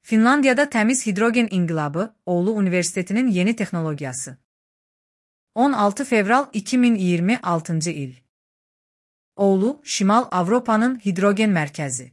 Finlandiyada təmiz hidrogen inqilabı, Oulu Universitetinin yeni texnologiyası. 16 fevral 2026 il. Oulu, Şimal Avropanın hidrogen mərkəzi.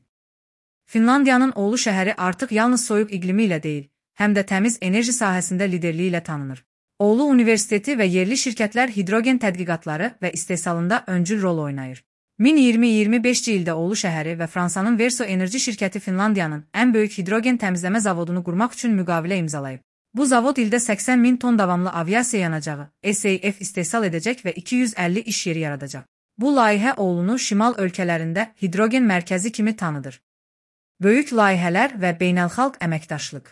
Finlandiyanın Oulu şəhəri artıq yalnız soyuq iqlimi ilə deyil, həm də təmiz enerji sahəsində liderliyi ilə tanınır. Oulu Universiteti və yerli şirkətlər hidrogen tədqiqatları və istehsalında öncül rol oynayır. 2025 ildə Oulu şəhəri və Fransanın Verso Enerji şirkəti Finlandiyanın ən böyük hidrogen təmizləmə zavodunu qurmaq üçün müqavilə imzalayıb. Bu zavod ildə 80 min ton davamlı aviasiya yanacağı, SAF istehsal edəcək və 250 iş yeri yaradacaq. Bu layihə Oulunu şimal ölkələrində hidrogen mərkəzi kimi tanıdır. Böyük layihələr və beynəlxalq əməkdaşlıq.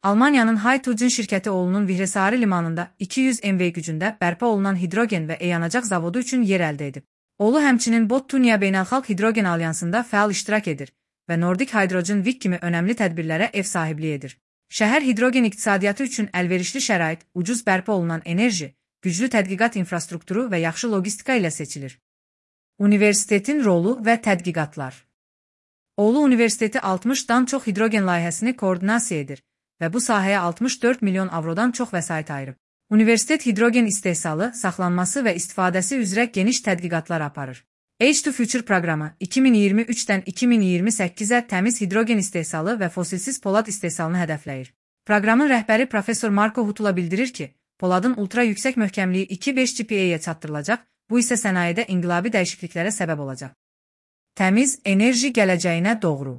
Almaniyanın Hydrogen şirkəti Oulunun Vihressari limanında 200 MV gücündə bərpa olunan hidrogen və yanacaq zavodu üçün yer əldə edib. Oulu həmçinin Bottunia Beynəlxalq Hidrogen Alyansında fəal iştirak edir və Nordic Hydrogen Week kimi önəmli tədbirlərə ev sahibliyi edir. Şəhər hidrogen iqtisadiyyatı üçün əlverişli şərait, ucuz bərpa olunan enerji, güclü tədqiqat infrastrukturu və yaxşı logistika ilə seçilir. Universitetin rolu və tədqiqatlar. Oulu Universiteti 60-dan çox hidrogen layihəsini koordinasiya edir və bu sahəyə 64 milyon avrodan çox vəsait ayırıb. Universitet hidrogen istehsalı, saxlanması və istifadəsi üzrə geniş tədqiqatlar aparır. H2 Future proqramı 2023-dən 2028-ə təmiz hidrogen istehsalı və fosilsiz polad istehsalını hədəfləyir. Proqramın rəhbəri Profesor Marko Hutula bildirir ki, poladın ultra yüksək möhkəmliyi 2,5 GPA-yə çatdırılacaq, bu isə sənayedə inqilabi dəyişikliklərə səbəb olacaq. Təmiz enerji gələcəyinə doğru.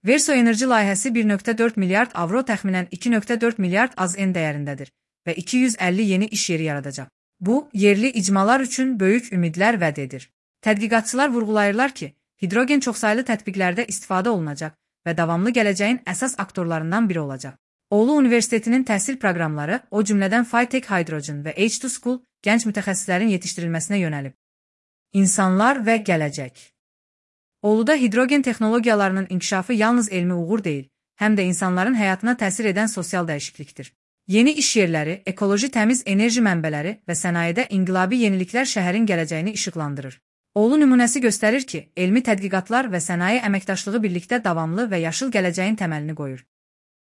Verso Enerji layihəsi 1,4 milyard avro təxminən 2,4 milyard AZN dəyərindədir və 250 yeni iş yeri yaradacaq. Bu, yerli icmalar üçün böyük ümidlər vəd edir. Tədqiqatçılar vurğulayırlar ki, hidrogen çoxsaylı tətbiqlərdə istifadə olunacaq və davamlı gələcəyin əsas aktorlarından biri olacaq. Oulu Universitetinin təhsil proqramları, o cümlədən Phytech Hydrogen və H2 School, gənc mütəxəssislərin yetişdirilməsinə yönəlib. İnsanlar və gələcək. Ouluda hidrogen texnologiyalarının inkişafı yalnız elmi uğur deyil, həm də insanların həyatına təsir edən sosial dəyişiklikdir. Yeni iş yerləri, ekoloji təmiz enerji mənbələri və sənayedə inqilabi yeniliklər şəhərin gələcəyini işıqlandırır. Oulu nümunəsi göstərir ki, elmi tədqiqatlar və sənaye əməkdaşlığı birlikdə davamlı və yaşıl gələcəyin təməlini qoyur.